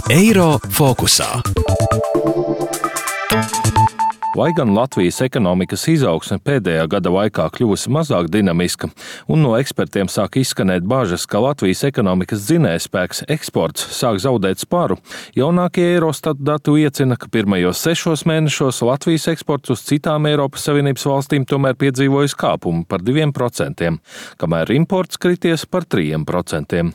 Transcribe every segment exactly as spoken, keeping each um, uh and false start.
Eiro fokusā. Vai gan Latvijas ekonomikas izaugsme pēdējā gada laikā kļuvusi mazāk dinamiska, un no ekspertiem sāk izskanēt bažas, ka Latvijas ekonomikas dzinējspēks eksports sāk zaudēt sparu, jaunākie Eurostat dati liecina, ka pirmajos sešos mēnešos Latvijas eksports uz citām Eiropas Savienības valstīm tomēr piedzīvojis kāpumu par diviem procentiem, kamēr imports krities par trīs procentiem.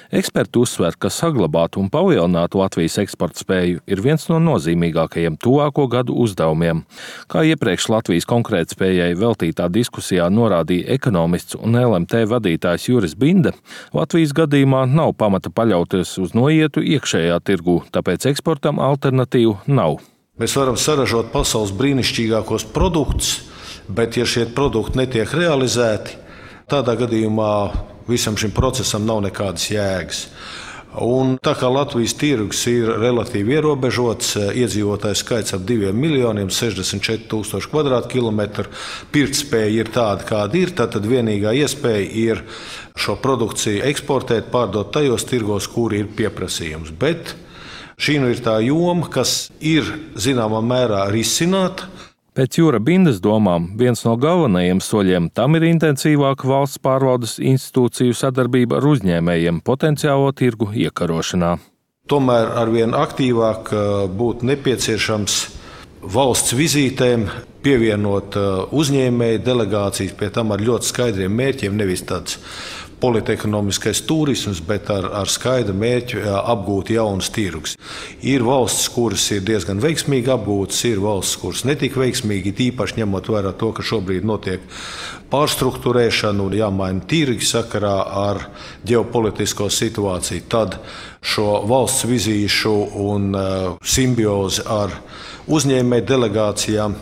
Eksperti uzsver, ka saglabāt un palielināt Latvijas eksporta spēju ir viens no nozīmīgākajiem tuvāko gadu uzdevumiem. Kā iepriekš Latvijas konkurētspējai veltītā diskusijā norādīja ekonomists un L M T vadītājs Juris Binde, Latvijas gadījumā nav pamata paļauties uz noietu iekšējā tirgū, tāpēc eksportam alternatīvu nav. Mēs varam saražot pasaules brīnišķīgākos produktus, bet ja šie produkti netiek realizēti, tādā gadījumā visam šim procesam nav nekādas jēgas. Un tā kā Latvijas tirgus ir relatīvi ierobežots, iedzīvotāju skaits ap diviem miljoniem, sešdesmit četri tūkstoši kvadrātkilometru, pirktspēja ir tāda, kāda ir, tad vienīgā iespēja ir šo produkciju eksportēt, pārdot tajos tirgos, kur ir pieprasījums. Bet šī nu ir tā joma, kas ir zināmā mērā risināta. Pēc Jura Bindes domām, viens no galvenajiem soļiem tam ir intensīvāka valsts pārvaldes institūciju sadarbība ar uzņēmējiem potenciālo tirgu iekarošanā. Tomēr arvien aktīvāk būtu nepieciešams valsts vizītēm pievienot uzņēmēju delegācijas, pie tam ar ļoti skaidriem mērķiem, nevis tāds politekonomiskais turisms, bet ar, ar skaidru mērķu apgūt jaunas tirgus. Ir valstis, kuras ir diezgan veiksmīgi apgūtas, ir valstis, kuras netik veiksmīgi, tīpaši ņemot vērā to, ka šobrīd notiek pārstruktūrēšana un jāmaina tirgi sakarā ar ģeopolitisko situāciju. Tad šo valsts vizīšu un uh, simbiozi ar uzņēmēju delegācijām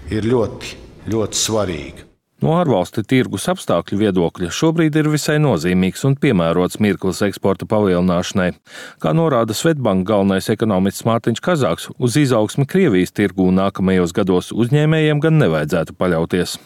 ir ļoti, ļoti svarīga. No ārvalstu tirgus apstākļu viedokļa šobrīd ir visai nozīmīgs un piemērots mirklis eksporta palielināšanai. Kā norāda Swedbank galvenais ekonomists Mārtiņš Kazāks, uz izaugsmi Krievijas tirgū nākamajos gados uzņēmējiem gan nevajadzētu paļauties.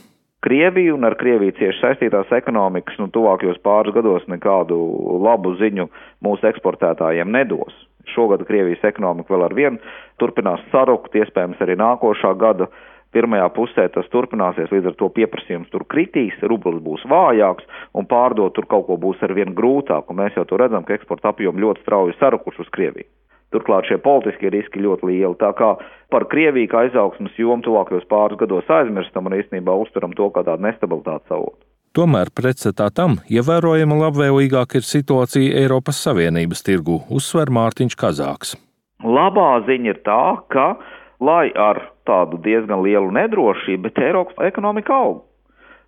Krievija un ar Krieviju cieši saistītās ekonomikas nu, tuvākajos pāris gados nekādu labu ziņu mūsu eksportētājiem nedos. Šogad Krievijas ekonomika vēl ar vienu turpinās sarukt, iespējams arī nākošā gada pirmajā pusē tas turpināsies, līdz ar to pieprasījums tur kritīs, rublis būs vājāks un pārdot tur kaut ko būs ar vien grūtāk. Un mēs jau to redzam, ka eksporta apjomi ļoti strauji sarukuši uz Krieviju. Turklāt šie politiskie riski ļoti lieli. Tā kā par Krieviju kā izaugsmas jomu tuvākajos pāris gados aizmirstam un īstenībā uztveram to kā tādu nestabilitātes avotu. Tomēr pretstatā tam ievērojama labvēlīgāka ir situācija Eiropas Savienības tirgū, uzsver Mārtiņš Kazāks. Labā ziņa ir tā, ka lai ar tādu diezgan lielu nedrošību, bet Eiropas ekonomika aug.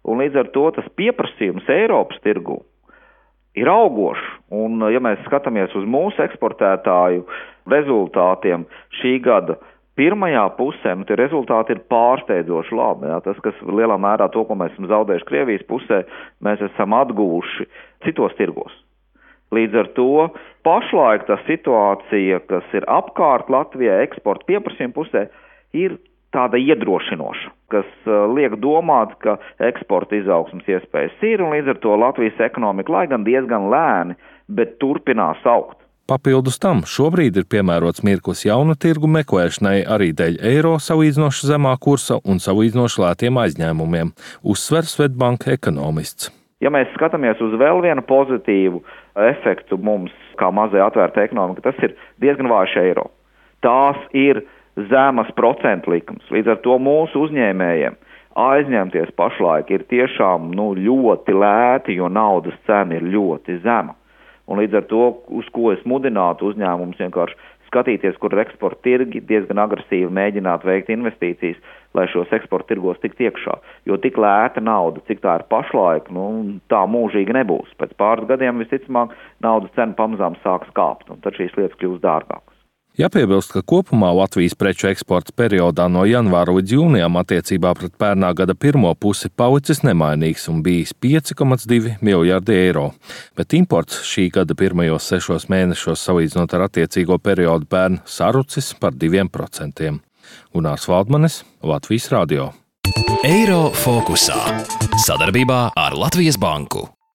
Un līdz ar to tas pieprasījums Eiropas tirgu ir augošs. Un, ja mēs skatāmies uz mūsu eksportētāju rezultātiem šī gada pirmajā pusē, nu, tie rezultāti ir pārsteidzoši labi. Jā. Tas, kas lielā mērā to, ko mēs esam zaudējuši Krievijas pusē, mēs esam atguvuši citos tirgos. Līdz ar to pašlaik tā situācija, kas ir apkārt Latvijai eksporta pieprasījuma pusē, ir tāda iedrošinoša, kas liek domāt, ka eksporta izaugsmas iespējas ir, un līdz ar to Latvijas ekonomika, lai gan diezgan lēni, bet turpinās augt. Papildus tam šobrīd ir piemērots mirklis jaunu tirgu meklēšanai arī dēļ eiro salīdzinoši zemā kursa un salīdzinoši lētiem aizņēmumiem, uzsver Swedbank ekonomists. Ja mēs skatāmies uz vēl vienu pozitīvu efektu mums, kā mazai atvērta ekonomika, tas ir diezgan vājš eiro. Tās ir zemas procentu likums. Līdz ar to mūsu uzņēmējiem aizņemties pašlaik ir tiešām nu, ļoti lēti, jo naudas cena ir ļoti zema. Un līdz ar to, uz ko es mudinātu uzņēmumus vienkārši skatīties, kur ir eksporta tirgi, diezgan agresīvi mēģināt veikt investīcijas, lai šos eksporta tirgos tikt iekšā. Jo tik lēta nauda, cik tā ir pašlaik, nu, tā mūžīgi nebūs. Pēc pāris gadiem visticamāk naudas cena pamazām sāks kāpt, un tad šīs lietas kļūs dārgākas. Jāpiebilst, ka kopumā Latvijas preču eksports periodā no janvāra līdz jūnijam attiecībā pret pērnā gada pirmo pusi palicis nemainīgs un bijis pieci komats divi miljardi eiro, bet imports šī gada pirmajos sešos mēnešos salīdzinot ar attiecīgo periodu pērn sarucis par diviem procentiem. Gunārs Valdmanis, Latvijas radio. Eiro fokusā. Sadarbībā ar Latvijas banku.